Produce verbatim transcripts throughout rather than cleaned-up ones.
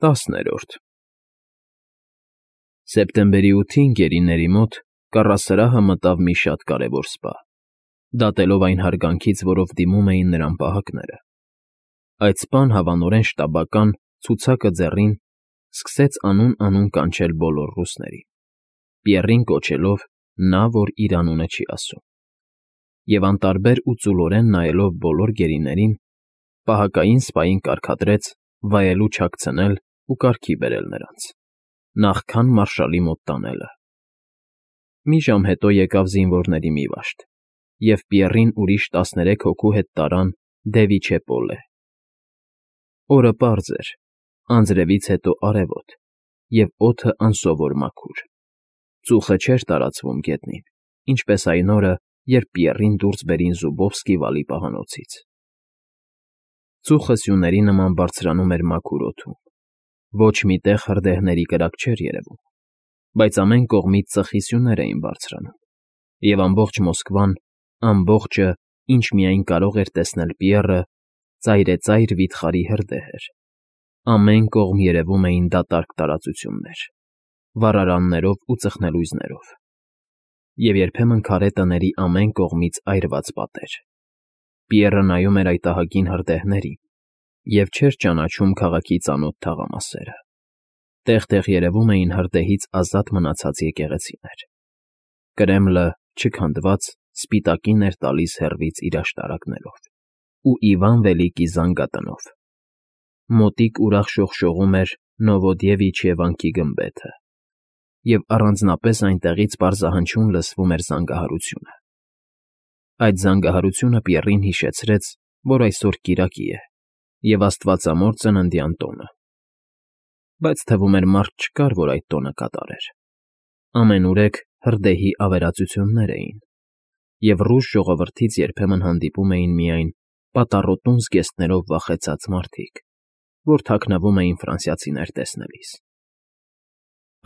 ՏԱՍՆԵՐՈՐԴ Սեպտեմբերի ութին գերիների մոտ կառասրահը մտավ մի շատ կարևոր սպա, դատելով այն հարգանքից, որով դիմում էին նրան պահակները. այդ սպան հավանորեն շտաբական, ցուցակը ձեռին, սկսեց անուն֊անուն կանչել բոլոր ռուսներին, Պիեռին կոչելով նա, որ իր անունը չի ասում, և անտարբեր ու ծուլորեն նայելով բոլոր գերիներին, պահակային սպային կարգադրեց վայելու չաքցնել ու կարգի բերել նրանց, նախքան մարշալի մոտ տանելը։ Մի ժամ հետո եկավ զինվորների մի վաշտ, և Պիեռին ուրիշ տասներեք հոգու հետ տարան Դևիչեպոլե։ Օրը պարզ էր, անձրևից հետո արևոտ, և օդը անսովոր մաքուր, ծուխը չէր տարածվում գետնին, ինչպես այն օրը, երբ Պիեռին դուրս բերին Զուբովսկի վալի պահանոցից։ Ծուխը սյուների նման բարձրանում էր մաքուր օդում, ոչ մի տեղ հրդեհների կրակ չէր երևում, բայց ամեն կողմից ծխի սյուներ էին բարձրանում, և ամբողջ Մոսկվան, ամբողջը, ինչ միայն կարող էր տեսնել Պիեռը, ծայրեծայր վիթխարի հրդեհ էր, ամեն կողմ երևում էին դատարկ տարածություններ, վառարաններով ու ծխնելույզներով, և երբեմն քարե տների ամեն կողմից այրված պատեր։ Պիեռը նայում էր այդ ահագին հրդեհներին և չէր ճանաչում քաղաքի ծանոթ թաղամասերը, տեղ֊տեղ երևում էին հրդեհից ազատ մնացած եկեղեցիներ։ Կրեմլը, չքանդված, սպիտակին էր տալիս հեռվից իր աշտարակներով ու Իվան Վելիկի զանգատնով։ Մոտիկ ուրախ շողշողում էր Նովոդևիչյե վանքի գմբեթը, և առանձնապես այնտեղից պարզահնչյուն լսվում էր զանգահարությունը։ Այդ զանգահարությունը Պիեռին հիշեցրեց, որ այսօր կիրակի է և աստվածամոր ծննդյան տոնը, բայց թվում էր մարդ չկար, որ այդ տոնը կատարեր։ Ամենուրեք հրդեհի ավերածություններ էին, և ռուս ժողովրդից երբեմն հանդիպում էին միայն պատառոտուն զգեստներով վախեցած մարդիկ, որ թաքնվում էին ֆրանսիացիներ տեսնելիս։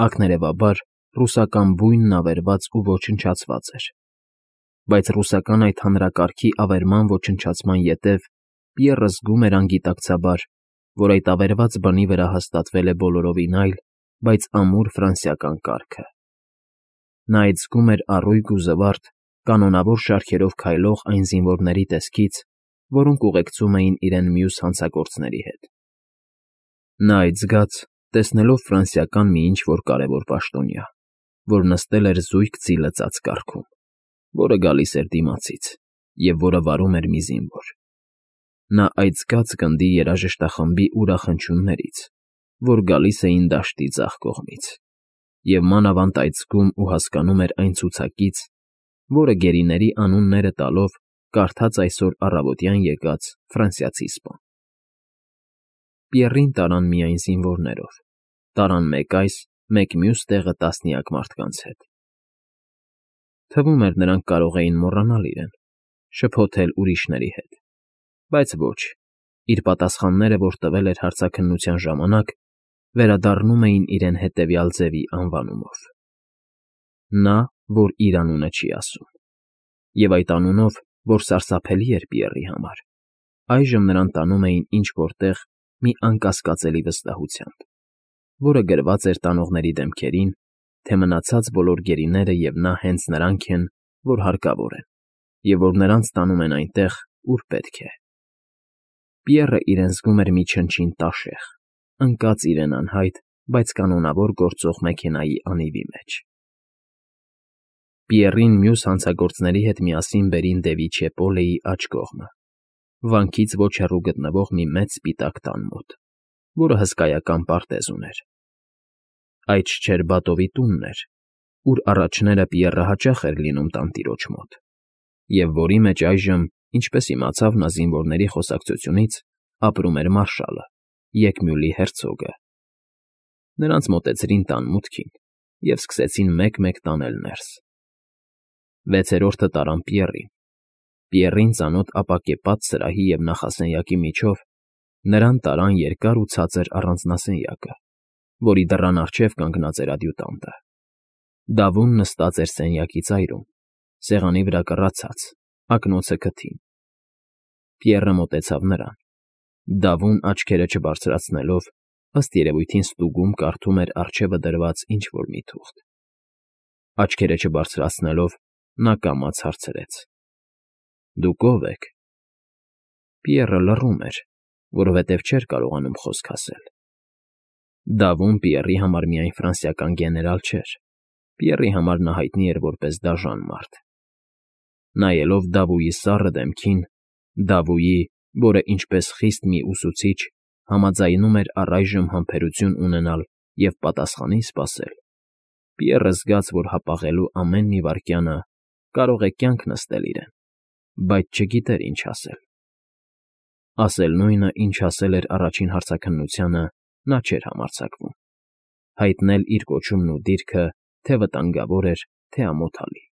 Ակներևաբար, ռուսական բույնն ավերված ու ոչնչացված էր, բայց ռուսական այդ հանրակարգի ավերման ոչնչացման ետև Պիեռը զգում էր անգիտակցաբար, որ այդ ավերված բնի վրա հաստատվել է բոլորովին այլ, բայց ամուր ֆրանսիական կարգը։ Նա այդ զգում էր առույգ ու զվարթ, կանոնավոր շարքերով քայլող այն զինվորների տեսքից, որոնք ուղեկցում էին իրեն մյուս հանցագործների հետ։ Նա այդ զգաց, տեսնելով ֆրանսիական մի ինչ֊որ կարևոր պաշտոնյա, որ նստել էր զույգ ձի լծած կառքում, որը գալիս էր դիմացից և որը վարում էր մի զինվոր։ Նա այդ զգաց գնդի երաժշտախմբի ուրախ֊հնչյուններից, որ գալիս էին դաշտի ձախ կողմից, և մանավանդ այդ զգում ու հասկանում էր այն ցուցակից, որը գերիների անունները տալով կարդաց այսօր առավոտյան եկած ֆրանսիացի սպան։ Պիեռին տարան միայն զինվորներով, տարան մեկ այս, մեկ մյուս տեղը տասնյակ մարդկանց հետ։ Թվում էր, նրանք կարող էին մոռանալ իրեն, շփոթել ուրիշների հետ, բայց ոչ, իր պատասխանները, որ տվել էր հարցաքննության ժամանակ, վերադառնում էին իրեն հետևյալ ձևի անվանումով. նա, որ իր անունը չի ասում, և այդ անունով, որ սարսափելի էր Պիեռի համար, այժմ նրան տանում էին ինչ֊որ տեղ մի անկասկածելի վստահությամբ, որը գրված էր տանողների դեմքերին, թե մնացած բոլոր գերիները և նա հենց նրանք են, որ հարկավոր են, և որ նրանց տանում են այնտեղ, ուր պետք է։ Պիեռը իրեն զգում էր մի չնչին տաշեղ, ընկած իրեն անհայտ, բայց կանոնավոր գործող մեքենայի անիվի մեջ։ Պիեռին մյուս հանցագործների հետ միասին բերին Դևիչեպոլեի աջ կողմը, վանքից ոչ հեռու գտնվող մի մեծ սպիտակ տան մոտ, որը հսկայական պարտեզ ուներ։ Այդ Շչերբատովի տունն էր, ուր առաջները Պիեռը հաճախ էր լինում տանտիրոջ մոտ, և որի մեջ այժմ, ինչպես իմացավ նա զինվորների խոսակցությունից, ապրում էր մարշալը, Եկմյուլի հերցոգը։ Նրանց մոտեցրին տան մուտքին և սկսեցին մեկ֊մեկ տանել ներս։ Վեցերորդը տարան Պիեռին։ Պիեռին ծանոթ ապակեպատ սրահի և նախասենյակի միջով նրան տարան երկար ու ցածր առանձնասենյակը, որի դռան առջև կանգնած էր ադյուտանտը։ Դավոն նստած էր սենյակի ծայրում, սեղանի վրա կռացած, ակնոցը քթին։ Պիեռը մոտեցավ նրան, Դավոն, աչքերը չբարձրացնելով, ըստ երևույթին ստուգում կարդում էր առջևը դրված ինչ֊որ մի թուղթ։ Աչքերը չբարձրացնելով, նա կամաց հարցրեց. «Դուք ո՞վ եք»։ Պիեռը լռում էր, որովհետև չէր կարողանում խոսք ասել։ Դավոն Պիեռի համար միայն ֆրանսիական գեներալ չէր, Պիեռի համար նա հայտնի էր որպես դաժան մարդ։ Նայելով Դավոյի սառը դեմքին, Դավոյի, որը ինչպես խիստ մի ուսուցիչ համաձայնում էր առայժմ համբերություն ունենալ և պատասխանին սպասել, Պիեռը զգաց, որ հապաղելու ամեն մի վայրկյանը կարող է կյանք նստել իրեն, բայց չգիտեր ինչ ասել։ Ասել նույնը, ինչ ասել էր առաջին հարցաքննությանը, նա չէր համարձակվում, հայտնել իր կոչումն ու դիրքը թե վտանգավոր էր, թե ամոթալի։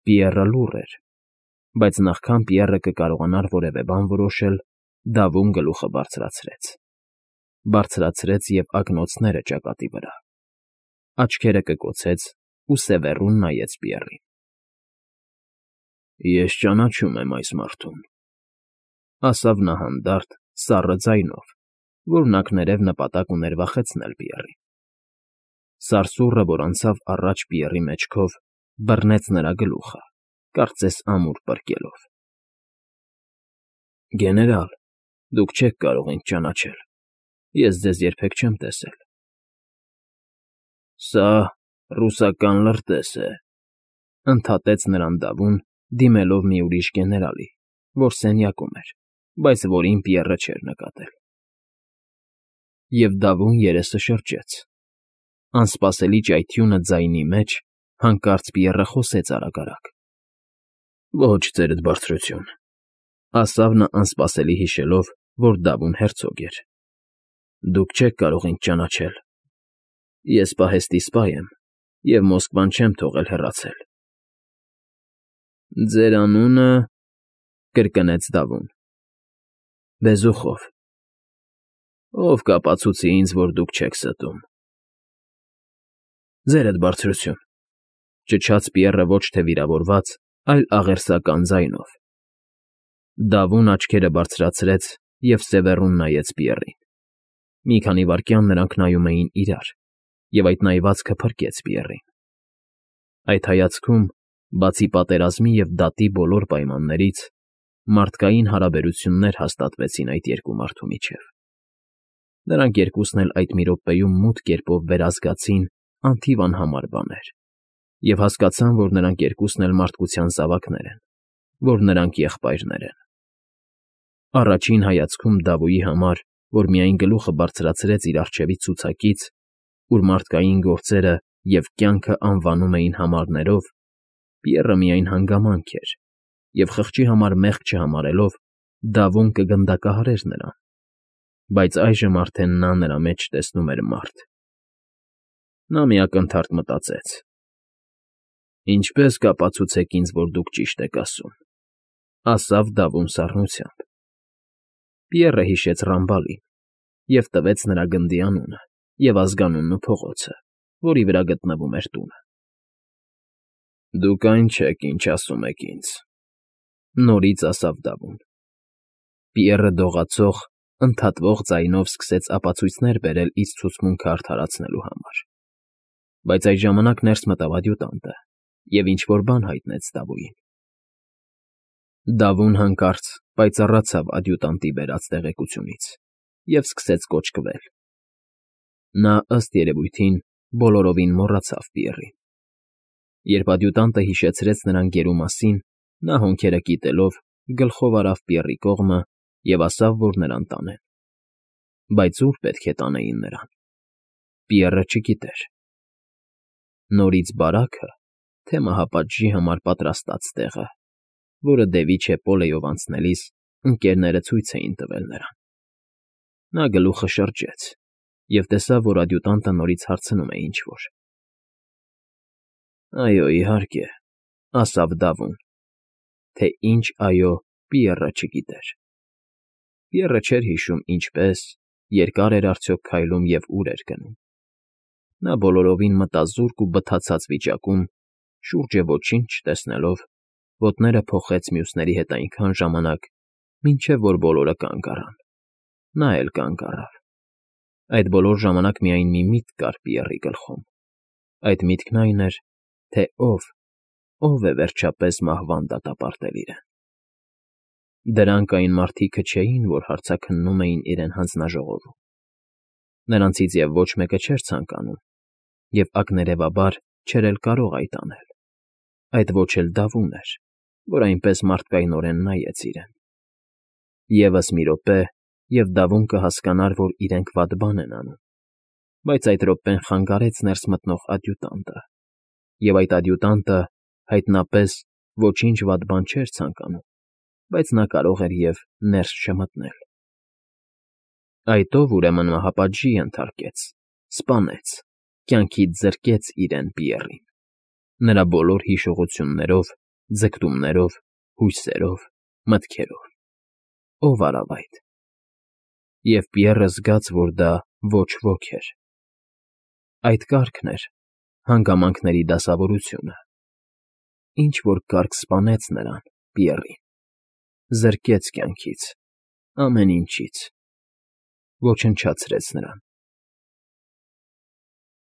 Պիեռը լուռ էր, բայց նախքան Պիեռը կկարողանար որևէ բան որոշել, Դավոն գլուխը բարձրացրեց։ Բարձրացրեց և ակնոցները ճակատի վրա։ Աչքերը կկոցեց ու սևեռուն նայեց Պիեռին։ «Ես ճանաչում եմ այս մարդուն», ասավ նա հանդարտ, սառը ձայնով, որն ակներև նպատակ ուներ վախեցնել Պիեռին։ Սարսուռը, որ անցավ առաջ Պիեռի մեջքով, բռնեց նրա գլուխը, կարծես ամուր պրկելով։ «Գեներալ, դուք չեք կարող ինձ ճանաչել, ես ձեզ երբեք չեմ տեսել»։ «Սա ռուսական լրտես է», ընդհատեց նրան Դավոն, դիմելով մի ուրիշ գեներալի, որ սենյակում էր, բայց որին Պիեռը չէր նկատել։ Եվ Դավոն երեսը շրջեց։ Անսպասելի ճայթյունը ձայնի մեջ, հանկարծ Պիեռը խոսեց արագ֊արագ. «Ոչ, ձերդ բարձրություն», ասավ նա անսպասելի հիշելով, որ Դավոն հերցոգ էր։ «Դուք չեք կարող ինձ ճանաչել։ Ես պահեստի սպա եմ և Մոսկվան չեմ թողել հեռացել»։ «Ձեր անունը…» կրկնեց Դավոն։ «Բեզուխով»։ «Ով կապացուցի ինձ, որ դուք չեք ստում»։ «Ձերդ բարձրություն», ճչաց Պիեռը ոչ թե վիրավորված, այլ աղերսական ձայնով։ Դավոն աչքերը բարձրացրեց և սևեռուն նայեց Պիեռին։ Մի քանի վայրկյան նրանք նայում էին իրար, և այդ նայվածքը փրկեց Պիեռին։ Այդ հայացքում, բացի պատերազմի և դատի բոլոր պայմաններից, մարդկային հարաբերություններ հաստատվեցին այդ երկու մարդու միջև։ Նրանք երկուսն էլ այդ մի րոպեում մութ կերպով վերազգացին անթիվ անհամար բաներ և հասկացան, որ նրանք երկուսն էլ մարդկության զավակներ են, որ նրանք եղբայրներ են։ Առաջին հայացքում Դավոյի համար, որ միայն գլուխը բարձրացրեց իր առջևի ցուցակից, ուր մարդկային գործերը և կյանքը անվանում էին համարներով, Պիեռը միայն հանգամանք էր, և խղճի համար մեղք չհամարելով, Դավոն կգնդակահարեր նրան, բայց այժմ արդեն նա նրա մեջ տեսնում էր մարդ։ Նա մի ակնթարթ մտածեց. «Ինչպե՞ս կապացուցեք ինձ, որ դուք ճիշտ եք ասում», ասավ Դավոն սառնությամբ։ Պիեռը հիշեց Ռամբալին և տվեց նրա գնդի անունը և ազգանունն ու փողոցը, որի վրա գտնվում էր տունը։ «Դուք այն չեք, ինչ ասում եք ինձ», նորից ասավ Դավոն։ Պիեռը դողացող, ընդհատվող ձայնով սկսեց ապացույցներ բերել իր ցուցմունքը արդարացնելու համար, բայց այդ ժամանակ ներս մտավ ադյուտանտը և ինչ֊որ բան հայտնեց Դավոյին։ Դավոն հանկարծ պայծառացավ ադյուտանտի բերած տեղեկությունից և սկսեց կոճկվել։ Նա, ըստ երևույթին, բոլորովին մոռացավ Պիեռին։ Երբ ադյուտանտը հիշեցրեց նրան գերու մասին, նա հոնքերը կիտելով գլխով արավ Պիեռի կողմը և ասավ, որ նրան տանեն։ Բայց ո՞ւր պետք է տանեին նրան։ Պիեռը չգիտեր։ Նորից բարա՞քը, թե մահապատժի համար պատրաստած տեղը, որը դեպի Պոլեյով անցնելիս ընկներները ցույց էին տվել նրան։ Նա գլուխը շրջեց և տեսավ, որ ադյուտանտը նորից հարցնում է ինչ֊որ։ «Այո, իհարկե», ասավ Դավոն, թե ինչ «այո» Պիեռը չգիտեր։ Պիեռը չէր հիշում ինչպես, երկար էր արդյոք քայլում և ուր էր գնում։ Նա բոլորովին մտազուրկ ու բթացած վիճակում, շուրջը ոչինչ չտեսնելով, ոտները փոխեց մյուսների հետ այնքան ժամանակ, մինչև որ բոլորը կանգ առան։ Նա էլ կանգ առավ։ Այդ բոլոր ժամանակ միայն մի միտք կար Պիեռի գլխում. այդ միտքն այն էր, թե ով, ով է վերջապես մահվան դատապարտել իրեն։ Դրանք այն մարդիկը չէին, որ հարցաքննում էին իրեն հանձնաժողովում։ Նրանցից և ոչ մեկը չէր ցանկանում, և ակներևաբար չէր էլ կարող այդ անել, այդ ոչ էլ Դավուն էր, որ այնպես մարդկայնորեն նայեց իրեն։ Եվս մի րոպե, և Դավուն կհասկանար, որ իրենք վատ բան են անում, բայց այդ րոպեն խանգարեց ներս մտնող ադյուտանտը, և այդ ադյուտանտը հայտնապես ոչինչ վատ բան չէր ցանկանում, բայց նա կարող էր և ներս չմտնել։ Այդ ով, ուրեմն, մահապատժի ենթարկեց, սպանեց, կյանքից զրկեց իրեն Պիեռին, նրա բոլոր հիշողություններով, ձգտումներով, հույսերով, մտքերով, ո՞վ արավ այդ։ Եվ Պիեռը զգաց, որ դա ոչ ոք էր։ Այդ կարգն էր, հանգամանքների դասավորությունը։ Ինչ֊որ կարգ սպանեց նրան, Պիեռին, զրկեց կյանքից, ամեն ինչից, ոչնչացրեց նրան։